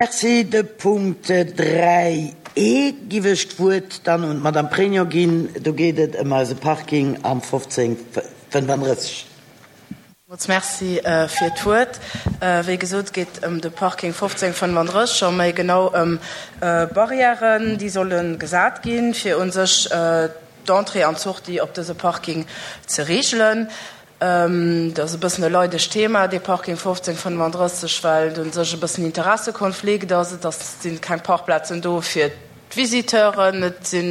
Merci. De Punkt 3 e giff ech d'Wuert dann un d'Madame Pregno ginn. Do geet et ëm eise Parking am 1535. Villmools Merci fir d'Wuert. Wéi gesot, geet ëm de Parking 1535 a méi genau ëm Barrièren, déi solle gesat ginn, fir u sech d'Entrée an d'Sortie op dëse Parking ze reegelen. Dat ass e bëssen e leidegt Thema, dee Parking 1535, well et u sech e bëssen Interessekonflikt ass. Et ass, si keng Parkplazen do fir d'Visiteuren, et si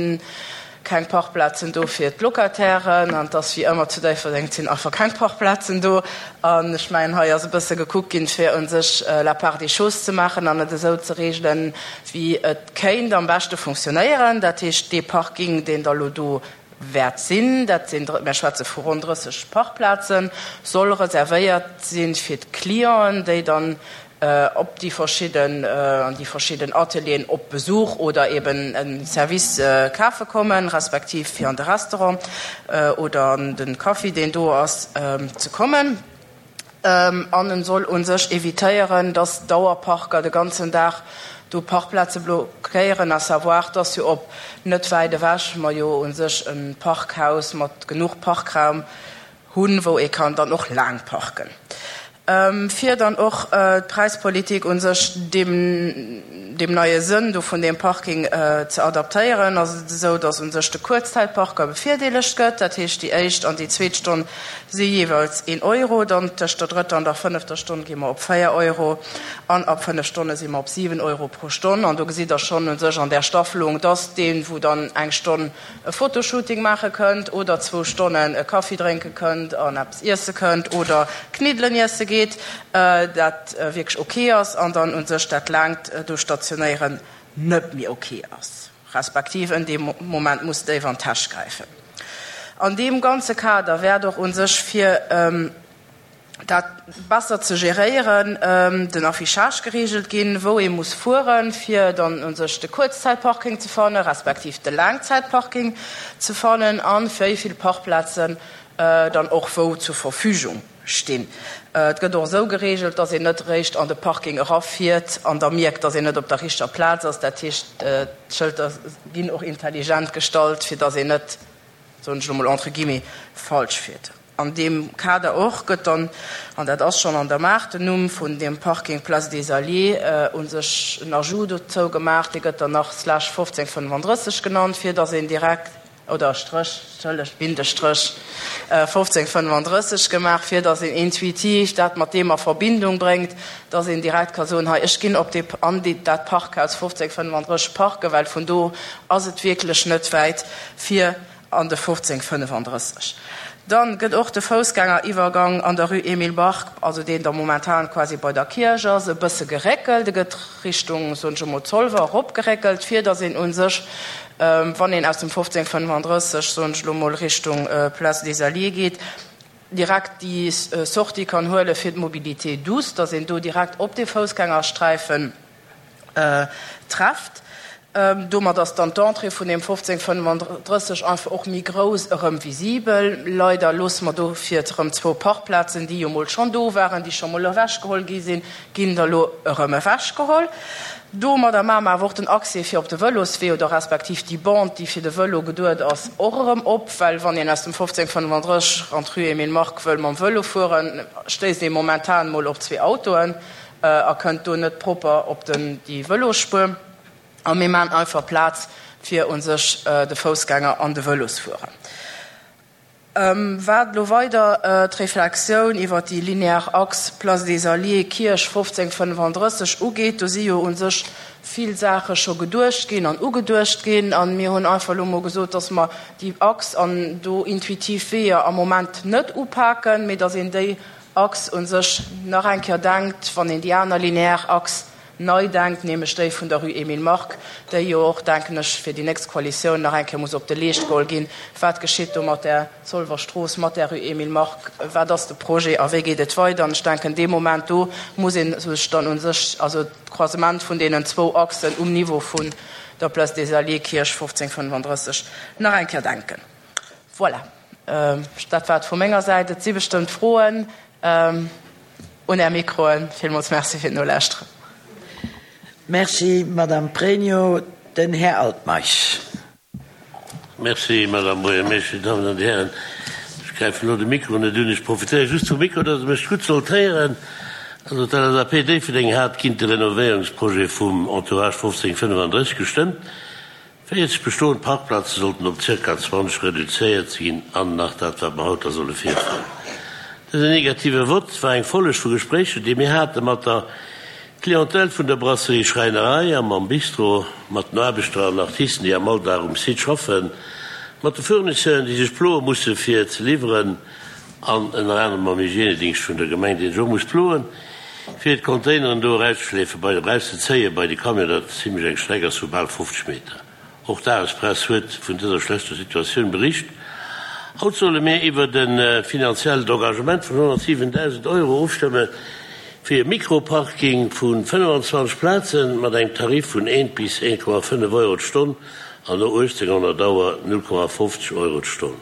keng Parkplazen do fir d'Locatairen an et ass wéi ëmmer zu Déifferdeng, et sinn einfach keng Parkplazen do. An ech mengen, hei ass e bësse gekuckt ginn, fir u sech la part des choses ze maachen an et esou ze regelen, wéi et kéint am beschte funktionéieren. Dat heescht, dee Parking, deen da lo do wäert sinn, dat sinn, mir schwätze vu ronn 30 Parkplazen, soll reservéiert si fir d'Clienten, déi dann op déi verschidden, an déi verschidden Atelieren op Besuch oder eben e Service kafe kommen, respektiv fir an de Restaurant oder an de Café, deen do ass, ze kommen. An en soll u sech évitéieren, dass Dauerparker de ganzen Dag do Parkplaze blockéieren, à savoir, dass jo op net wäit ewech mer jo u sech e Parkhaus mat genuch Parkraum hunn, wou ee kann dann och laang parken. Fir dann och d'Präispolitik u sech deem deem neie Sënn do vun deem Parking ze adaptéieren, ass et esou, dass u sech de Kuerzzäitparker bevirdeelegt gëtt, dat heescht déi éischt an déi zweet Stonn si jeeweils een Euro, dann tëscht der drëtter an der fënnefter Stonn gi mer op 4 Euro an ab 5 Stonne si mer op 7 Euro pro Stonn. An do gesitt Der schonn u sech an där Staffelung, dass deen, wou dann eng Stonn e Fotoshooting maache kënnt oder zwou Stonnen e Kaffi drénke kënnt an eppes iesse kënnt oder Kniddelen iesse geet, dat wierklech ok ass an dann u sech dat laangt do stationéieren net méi ok ass. Respektiv en dee Moment muss déif an d'Täsch gräifen. An deem ganze Kader wäert och u sech, fir dat besser ze geréieren, den Affichage geregelt ginn, wou ee muss fueren, fir dann u sech de Kuerzzäitparking ze fannen, respektiv de Laangzäitparking ze fannen a wéi vill Parkplazen dann och wou zur Verfügung stinn. Et gëtt och esou geregelt, dass een net eréischt an de Parking erafiert an da mierkt, dass een net op der richteger Plaz ass. Dat heescht, d'Schëlter ginn och intelligent gestallt, fir dass een net, soen ech elo mol entre guillemets, falsch fiert. An deem Kader och gëtt dann, an dat ass schonn an der Maach, den Numm vun deem Parking Place des Alliés u sech en Ajout dozou gemaach. Dee gëtt dann nach Slash 1535 genannt, fir dass een direkt, oder Stréch, entschëllegt, Bindestréch 1535 gemaach, fir datt een intuitiv dat mat deem a Verbindung bréngt, datt een direkt ka soen, hei, ech ginn op dee, an déi, dat Parkhaus 1535 parken, well vun do ass et wierklech net wäit fir an de 1535. Dann gëtt och de Foussgängeriwwergang an der Rue Emile Bark, also deen da momentan quasi bei der Kierch ass, e bësse geréckelt. E gëtt Richtung, soen ech emol, Zolwer eropgeréckelt, fir datt een u sech, wann een aus dem 1535, soen ech elo mol, Richtung Place des Alliés geet, direkt déi Sortie kann huele fir d'Mobilité douce, datt een do direkt op dee Foussgängersträifen trefft. Domat ass dann d'Entrée vun deem 1535 einfach och méi grouss erëm visibel. Leider loosse mer dofir erëm zwou Parkplazen, déi jo mol schonn do waren, déi scho mol ewechgeholl gi sinn, ginn der elo erëm ewechgeholl. Domadder maache mer awer och den Accès fir op de Vëloswee oder respektiv déi Bande, déi fir de Vëlo geduet ass, och erëm op, well wann een aus dem 1535 an d'Rue Emile Mark wëll mam Vëlo fueren, stéisst ee momentan mol op zwee Autoen. A kënnt do net propper op den déi Vëlosspuer. A mir maachen einfach Plaz fir u sech de Foussgänger an de Vëlosfuerer. Wat elo weider d'Reflexioun iwwer déi linear Achs Place des Alliés, Kierch 1535 ugeet, do si jo u sech vill Saache scho geduecht ginn an ugeduecht ginn. A mir hunn einfach elo mol gesot, dass mer déi Achs an do intuitiv Weeër am Moment net upaken, mee dass een déi Achs u sech nach eng Kéier denkt, wann een déi aner linear Achs nei denkt, nämlech déi vun der Rue Emile Mark, déi jo och, denken ech, fir déi nächst Koalitioun nach eng Kéier muss op de Leescht geholl ginn. Wat geschitt do mat där Zolwer Strooss, mat där Rue Emile Mark? Wat ass de Projet a wéi geet et weider? An ech denken, dee Moment do muss ee sech dann u sech, also d'Croisement vun deenen zwou Achsen um Niveau vun der Place des Alliés, Kierch 1535, nach eng Kéier denken. Voilà. Dat war et vu menger Säit. Et si bestëmmt Froen un Är Mikroen. Villmools Merci fir d'Nolauschteren. Merci, Madame Pregno. Den Här Altmeisch. Merci, Madame Buergermeeschtesch. Dir Dammen an Dir Hären, ech gräifen elo de Mikro net un. Ech profitéiere just vum Mikro, datt Der mech gutt sollt héieren. Also d'LSAP Déifferdeng hat géint de Renovéierungsprojet vum Entourage 1535 gestëmmt. 40 bestoend Parkplaze sollten op zirka 20 reduzéiert ginn an nach dat, wat mer haut da solle virféieren. Dësen negative Vott war eng Folleg vu Gespréicher, déi mir hate mat der Clientèle vun der Brasserie Schräinerei a mam Bistro, mat den Aarbechter an Artisten, déi am Alldag um Site schaffen, mat de Fournisseuren, déi sech ploe musse fir ze liwweren an ënner anerem mam Hygienedingscht vun der Gemeng, dee sech och muss ploen, fir d'Containeren do erauszeschleefen, bei, erauszezéien bei de Camion, dat zimlech eng Streck ass vu bal 50 Meter. Och d'Dagespress huet vun dëser schlechter Situatioun bericht. Haut solle mir iwwert e finanziellt Engagement vun 107.000 Euro ofstëmme fir e Mikroparking vu 25 Plaze mat engem Tarif vun 1 bis 1,5 Euro d'Stonn an no 1800 Auer 0,50 Euro d'Stonn.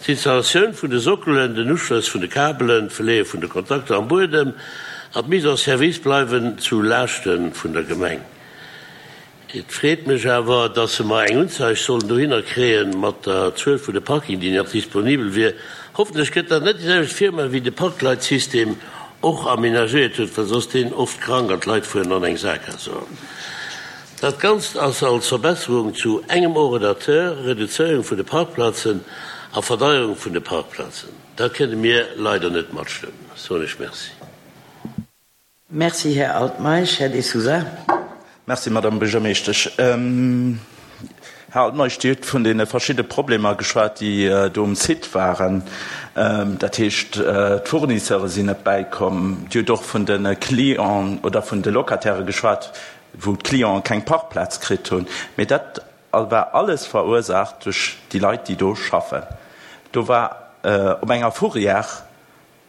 D'Installatioun vun de Sockelen, den Uschlëss vun de Kabelen, d'Verleeë vun de Kontakter am Buedem an d'Mise en service bleiwen zu Laaschte vun der Gemeng. Et freet mech awer, dass mer eng Unzeig sollen dohinner kréie mat der Zuel vun de Parking, déi nach disponibel wier. Hoffentlech gëtt dat net déi selwecht Firma wéi de Parkleitsystem och amenagéiert huet, well soss deen oft krank an d'Leit fueren an eng Saakgaass eran. Dat Ganzt ass als Verbesserung zu engem Ordinateur, Reduzéierung vun de Parkplazen a Verdeierung vun de Parkplazen. Dat kënne mir leider net matstëmmen. Soen ech Merci. Merci, Här Altmeisch. Här De Sousa. Merci, Madame Buergermeeschtesch. Här Altmeisch, Dir hutt vun deene verschidde Problemer geschwat, déi do um Site waren. Dat heescht, d'Fournisseure sinn net bäikomm. Dir hutt och vun de Clienten oder vun de Locataire geschwat, wou d'Clienten keng Parkplaz kritt hunn, mee dat war alles verursaacht duerch déi Leit, déi do schaffen. Do war op enger Fourrière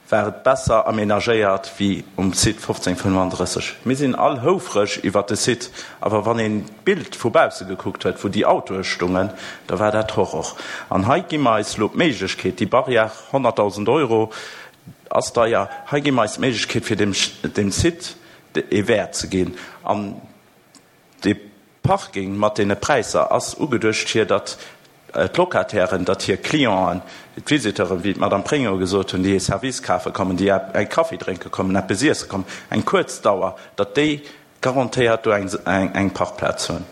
war et besser aménagéiert wéi um Site 1535. Mir sinn all houfreg iwwert de Site, awer wann een d'Bild vu bausse gekuckt huet, wou déi Autoe stungen, da war dat Horror. An hei gi mer eis elo d'Méiglechkeet, déi Barrière, 100.000 Euro ass deier, hei gi mer eis d'Méiglechkeet fir deem Site ee Wäert ze ginn. An dee Parking mat deene Präisser ass ugeduecht fir datt d'Locatairen, datt hir Clienten, d'Visiteuren, wéi d'Madame Pregno gesot hunn, déi ee Service kafe kommen, déi e Kaffi drénke kommen, eppes iesse kommen, eng kuerz Dauer, datt déi garantéiert do eng Parkplaz hunn.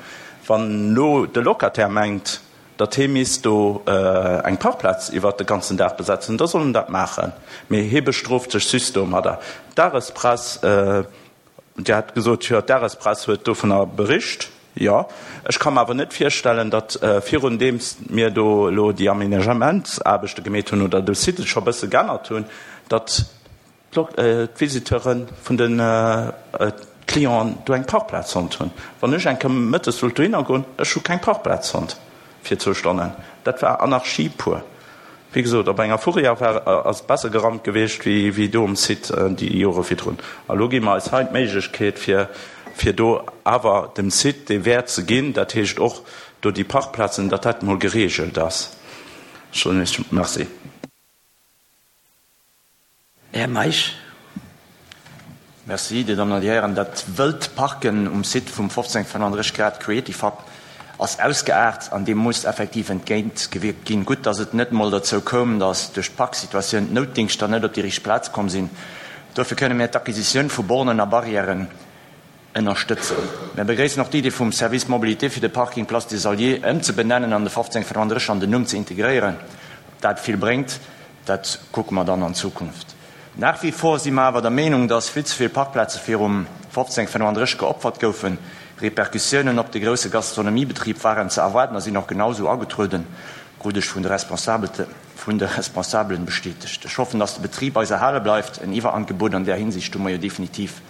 Wann elo de Locataire mengt, datt hee misst do eng Parkplaz iwwert de ganzen Dag besetzen, da soll en dat maachen, mee hee bestrooft sech just domadder. D'Dagespress, Dir hat gesot, jo, d'Dagespress huet dovunner bericht, jo. Ech ka mer awer net virstellen, datt virun deems mir do elo déi Aménagementsaarbechte gemeet hunn oder de Site scho e bësse geännert hunn, datt d'Visiteure vun de Clienten do eng Parkplaz fonnt hunn. Wann ech eng Kéier mëttes wollt dohinner goen, ech hu keng Parkplaz fonnt fir zwou Stonnen. Dat war Anarchie pur. Wéi gesot, op enger Fourrière war ass et besser gerammt gewiescht wéi do um Site déi Jore virdrun. A lo gi mer eis hei d'Méiglechkeet fir fir do awer dem Site dee Wäert ze ginn, dat heescht och do déi Parkplazen, datt dat emol geregelt ass. Ech soen Iech Merci. Här Meisch. Merci, Dir Dammen an Dir Hären. Dat wëllt Parken um Site vum 1535 Grad Creative Hub ass ausgeaart an deem muss effektiv entgéint gewierkt ginn. Gutt, datt et net emol dozou koum, datt duerch d'Parksituatioun d'Noutdingschter net op déi richteg Plaz komm sinn. Dofir kënne mir d'Acquisitioun vu Bornen a Barrièren ënnerstëtzen. Mir begréissen och d'Idee vum Service Mobilité fir de Parking Place des Alliés ëmzebenennen an de 1535 an den Numm ze integréieren. Ob dat vill bréngt, dat kucke mer dann an Zukunft. Nach wie vor si mer awer der Meenung, dass vill ze vill Parkplaze virum 1535 geopfert goufen. Repercussiounen op de grousse Gastronomiebetrib waren ze erwaarden a sinn och genau esou agetrueden, krut ech vun de vun de Responsabelen bestätegt. Ech hoffen, dass de Betrib eis erhale bleift. En Iwwerangebot an där Hinsicht hu mer jo definitiv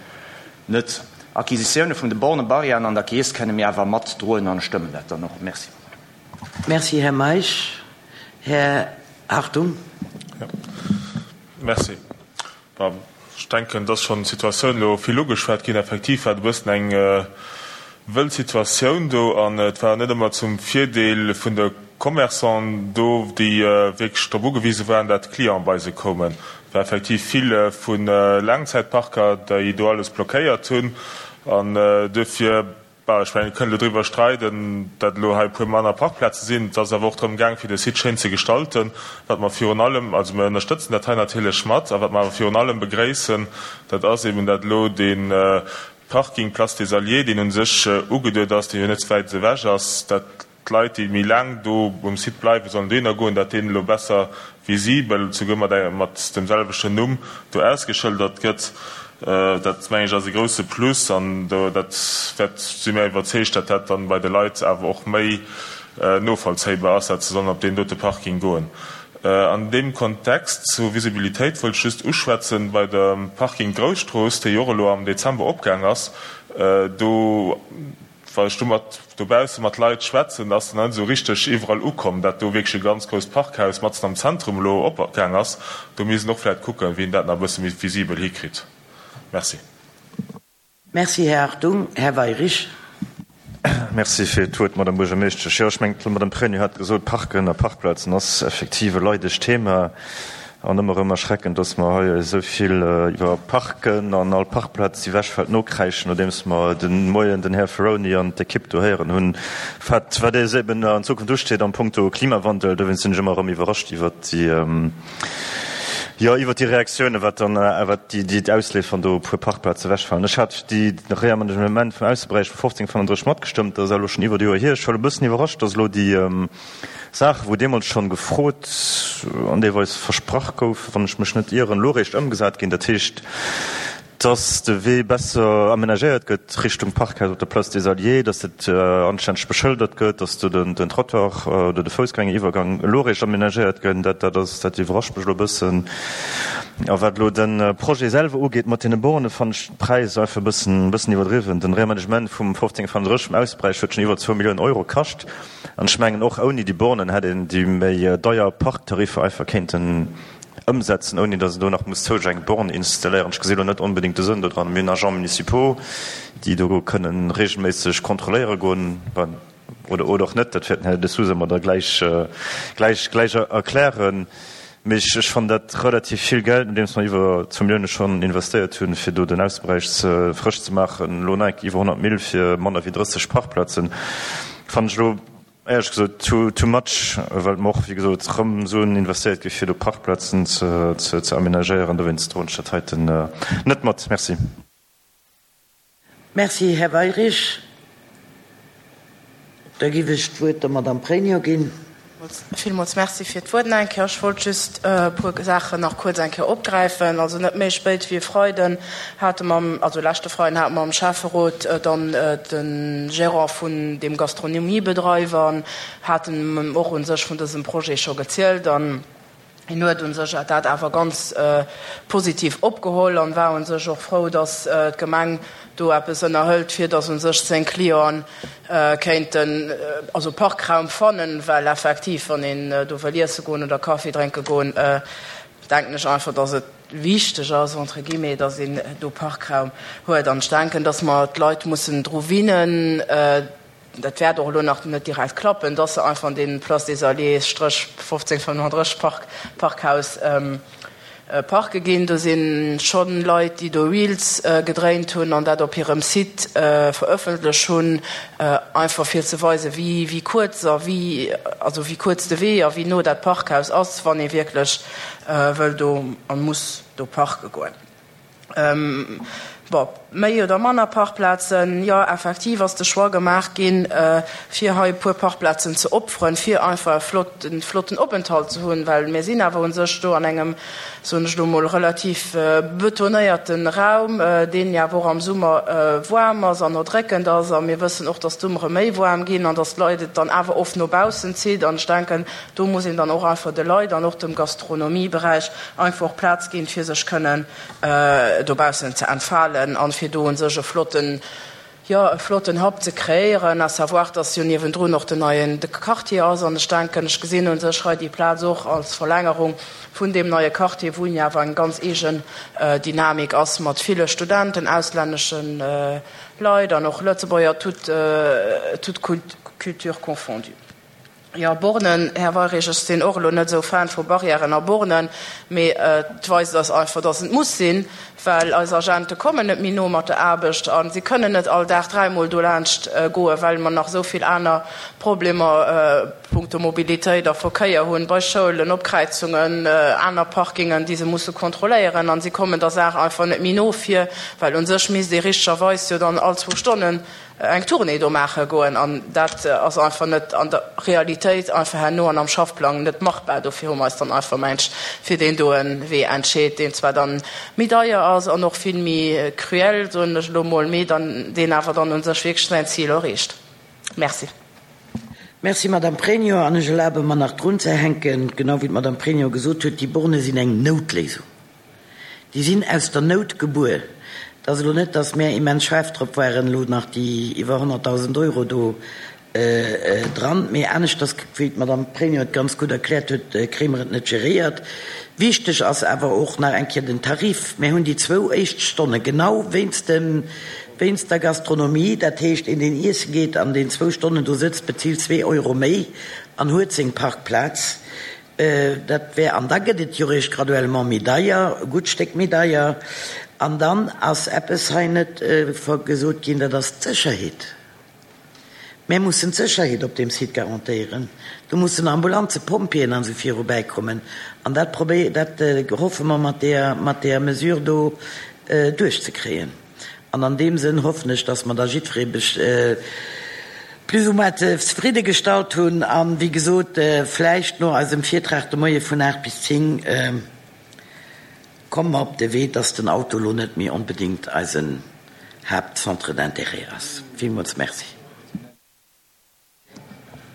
Net. Acquisitioune vun de Borne, Barrièren an der Keess kenne mir awer mat droen an stëmmen dat dann och. Merci. Merci, Här Meisch. Här Hartung. Jo, merci. Bon, ech denken, et ass schonn d'Situatioun elo vill ugeschwat ginn. Effektiv war et e bëssen eng wëll Situatioun do an et war net ëmmer zum Virdeel vun de Commerçanten do, déi wierklech drop ugewise waren, dat d'Clienten bei se koumen. War effektiv vill vu Laangzäitparker, déi do alles blockéiert hunn. An duerfir, bon, ech mengen, mir kënnen elo driwwer streiden, datt elo hei e puer manner Parkplaze sinn. Et ass awer och drëm gaang, fir de Site schéin ze gestalten. Wat mer virun allem, also mir ënnerstëtzen dat hei natierlech mat, a wat mer awer virun allem begréissen, dat ass eben, datt elo dee Parking Place des Alliés, deen u sech ugeduet ass, dee jo net wäit ewech ass, datt d'Leit, déi méi laang do um Site bleiwen, sollen dohinner goen, datt deen elo besser visibel, souguer mat engem, mat dem selwechten Numm do ausgeschëldert gëtt. Dat, meng ech, ass e grouse Plus an do, dat wäert, si mir iwwerzeegt, datt dat dann bei de Leit awer och méi novollzéibar ass, datt se sollen op deen dote Parking goen. An deem Kontext zur Visibilitéit wëllt ech just uschwätzen, bei dem Parking Grousstrooss, dee jo och elo am Dezember opgaang ass, do, Wa ech do mat dobausse mat Leit schwätzen, ass nach net esou richteg iwwerall ukomm, dat do wierklech e ganz grousst Parkhaus matzen am Zentrum elo opgaang ass. Do misst een och vläicht kucken, wéi een dat nach e bësse méi visibel hikritt. Merci. Merci, Här Hartung. Här Weirich. Merci fir d'Wuert, Madame Buergermeeschtesch. Jo, ech mengen, d'Madame Pregno hat gesot, Parken a Parkplazen ass effektiv e leidegt Thema. An ëmmer erëm erschreckend, dass mer hei esou vill iwwer Parken an all Parkplaz, déi ewechfält, nokräischen, nodeems mer de Moien den Här Ferroni an d'Ekipp do héieren hunn, wat wat eis eben an Zukunft usteet am Punkto Klimawandel. Dowéinst sinn ech ëmmer erëm iwwerrascht iwwert déi, jo, iwwert déi Reaktiounen, wat dann, wat déi, déi ausléist, wann do e puer Parkplaze ewechfalen. Ech hat déi Reamenagement vum Ausseberäich vu 1535 matgestëmmt, dat ass elo schonn iwwert e Joer hier. Ech war elo e bëssen iwwerrascht, dass elo déi, Saachen, wou deemools schonn gefrot an deelweis versprach goufen, wann ech mech net ieren, elo eréischt ëmgesat ginn. Dat heescht, dass de Wee besser amenagéiert gëtt Richtung Parkhaus op der Place des Alliés, dass dat anstänneg beschëldert gëtt, dass do den Trottoir oder de Foussgängeriwwergang elo eréischt amenagéiert gëtt. Dat, dat ass, dat iwwerrascht mech elo e bëssen. A wat elo de Projet selwer ugeet mat deene Borne, fannen ech de Präis einfach e bëssen, e bëssen iwwerdriwwen. Den Reamenagement vum 1535 vum Ausseberäich huet schonn iwwer zwou Milliounen Euro kascht. An ech mengen, och ouni déi Bornen hätt een déi méi deier Parktariffer einfach kéinten ëmsetzen, ouni datt een do nach muss zousätzlech eng Born installéieren. Ech gesi elo net onbedéngt de Sënn do dran. Mir hunn Agents municipaux, déi do kënnen regelméisseg kontrolléiere goen, oder och net, dat wäert den Här De Sousa mer da gläich, gläich, gläich erklären. Mee ech fannen dat relativ vill Geld, nodeems mer iwwer zwou Millioune schonn investéiert hunn, fir do den Ausseberäich ze frësch ze maachen, elo nach eng Kéier iwwer 100 Mille fir manner wéi 30 Parkplazen, fannen ech elo éierlech gesot too, too much, well mer och, wéi gesot, erëm Suen investéiert gi fir do Parkplazen ze, ze amenagéieren. Dowéinst droen ech dat heiten net mat. Merci. Merci, Här Weirich. Da giff ech d'Wuert der Madame Pregno ginn. Villmools Merci fir d'Wuert nach eng Kéier. Ech wollt just e puer Saachen nach kuerz eng Kéier opgräifen. Also net méi spéit wéi e Freiden hate mer, also leschte Freiden hate mer am Schäfferot dann de Gérant vun deem Gastronomiebedreiwer, haten och u sech vun dësem Projet scho gezielt an, Hien huet un sech dat awer ganz positiv opgeholl an war un sech och frou, dass d'Gemeng do eppes ënnerhëlt, fir dass un sech seng Clienten kéinten also Parkraum fannen, well effektiv, wann een do wëll iesse goen oder Kaffi drénke goen, denken ech einfach, dass et wichteg ass, entre guillemets, dass een do Parkraum huet. An ech denken, dass mer d'Leit mussen dru winnen, dat wäert och elo nach net direkt klappen, dass se einfach an dee Place des Alliés Stréch 1535 Park, Parkhaus parke ginn. Do si scho Leit, déi do Reels gedréint hunn an dat op hirem Site verëffentlech hunn, einfach fir ze weisen, wéi, wéi kuerz a wéi, also wéi kuerz de Wee a wéi no dat Parkhaus ass, wann ee wierklech wëll do a muss do parke goen. Bon, méi oder manner Parkplazen, jo, effektiv ass de Choix gemaach ginn, fir hei e puer Parkplazen ze opferen, fir einfach e flotten, flotten Openthalt ze hunn, well mir sinn awer u sech do an engem, soen ech elo mol, relativ betonéierte Raum, deen jo awer och am Summer waarm ass an erdréckend ass. A mir wëssen och, dass d'Summere méi waarm ginn an dass d'Leit et dann awer oft no baussen zitt. An ech denken, do muss een dann och einfach de Leit an och dem Gastronomieberäich einfach och Plaz ginn, fir sech kënnen dobaussen ze entfalen an fir do un sech e flotten, jo, e flotten Hub ze kreéieren, à savoir, dass jo niewendrun och den neien Quartier ass. An ech denken, ech gesinn un sech hei déi Plaz och als Verlängerung vun deem neie Quartier, wou jo awer eng ganz eegen Dynamik ass mat ville Studenten, auslännesche Leit an och Lëtzebuerger, toute, toute culture confondue. Jo, Bornen, Här Weirich, ech sinn och elo net esou Fan vu Barrièren a Bornen, mee et weist eis einfach, dass et muss sinn, well eis Agente kommen net méi no mat der Aarbecht a si kënnen net all Dag dräimol dolaanscht goen, well mer nach esou vill aner Problemer punkto Mobilitéit a Verkéier hunn, bei Schoulen, op Kräizungen, aner Parkingen, déi se musse kontrolléieren a si kommen der Saach einfach net méi no fir, well u sech misst ee richtegerweis jo dann all zwou Stonnen eng Tournée do maache goen an dat ass einfach net an der Realitéit einfach herno an am Schaffplang net machbar. Dofir hu mer eis dann einfach, mengt ech, fir deen doen Wee entscheet, deen zwar dann méi deier ass an och vill méi cruel, soen ech elo mol, mee dann deen awer dann u sech wierklech säin Zil erreecht. Merci. Merci, Madame Pregno. An ech erlabe mer nach drunzehänken, genau wéi d'Madame Pregno gesot huet, déi Borne sinn eng Noutléisung. Déi sinn aus der Nout gebuer. Et ass elo net, datt mär immens schaarf drop waren, elo nach déi iwwer 100.000 Euro do dran. Mee aneschters, wéi d'Madame Pregno et ganz gutt erkläert huet, kréie mer et net geréiert. Wichteg ass awer och nach eng Kéier den Tarif. Mär hunn déi zwou éischt Stonne genau wéinst dem, wéinst der Gastronomie, dat heescht, een deen iesse geet an deen zwou Stonnen do sëtzt, bezilt zwee Euro méi an huet seng Parkplaz. Dat wär, an da gëtt et jo eréischt graduellement méi deier, e gutt Stéck méi deier. An dann ass eppes hei net gesot ginn, dat ass d'Sécherheet. Mär mussen d'Sécherheet op deem Site garantéieren. Do mussen Ambulanzen, Pompjeeën an esou viru bäikommen. An dat probéi, dat hoffe mer mat deeër, mat deeër Mesure do duerchzekréien. An an deem Sënn hoffen ech, dass mer da jiddweree plus ou moins zefridde gestallt hunn. An, wéi gesot, vläicht no eisem Virtrag de Moie vun 8 bis 10 komme mer op de Wee, dass den Auto elo net méi onbedéngt eisen Haaptcentre d'intérêt ass. Villmools Merci.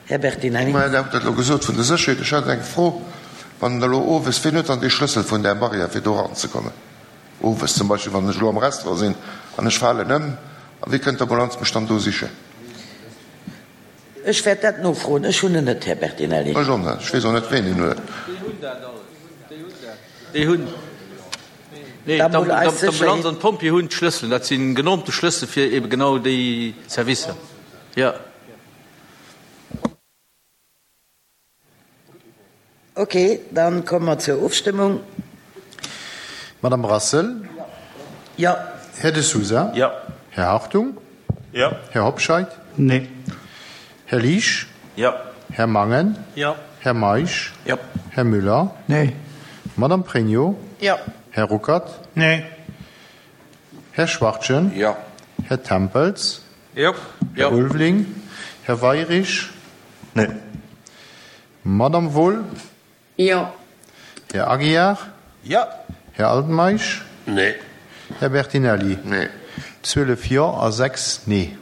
Här Bertinelli. Mä Dir hutt dat elo gesot vun der Sécherheet. Ech hätt eng Fro, Wann elo owes, wien huet dann dee Schlëssel vun där Barrière fir do eranzekommen? Owes zum Beispill, wann ech elo am Restaurant sinn an ech falen ëm, a wéi kënnt d'Ambulanz mech dann do sichen? Ech wäert dat nofroen. Ech hunn en net, Här Bertinelli. Ech och net. Ech weess och net, wien en huet. Déi hunn dat alles. Déi hunn, nee, d'Ambulanz an d'Pompjeeë hunn d'Schlësselen. Dat si genormte Schlëssel fir eebe genau déi Servicer. Jo. Ok, dann komme mer zur Ofstëmmung. Madame Brassel? Jo. Här De Sousa? Jo. Här Hartung? Jo. Här Hobscheit? Nee. Här Liesch? Jo. Här Mangen? Jo. Här Meisch? Jo. Här Müller? Nee. Madame Pregno? Jo. Här Ruckert? Nee. Här Schwachtgen? Jo. Här Tempels? Jo. Här Ulveling? Här Weirich? Nee. Madame Wohl? Jo. Här Aguiar? Jo. Här Altmeisch? Nee. Här Bertinelli? Nee. 12 Jo a 6 Nee.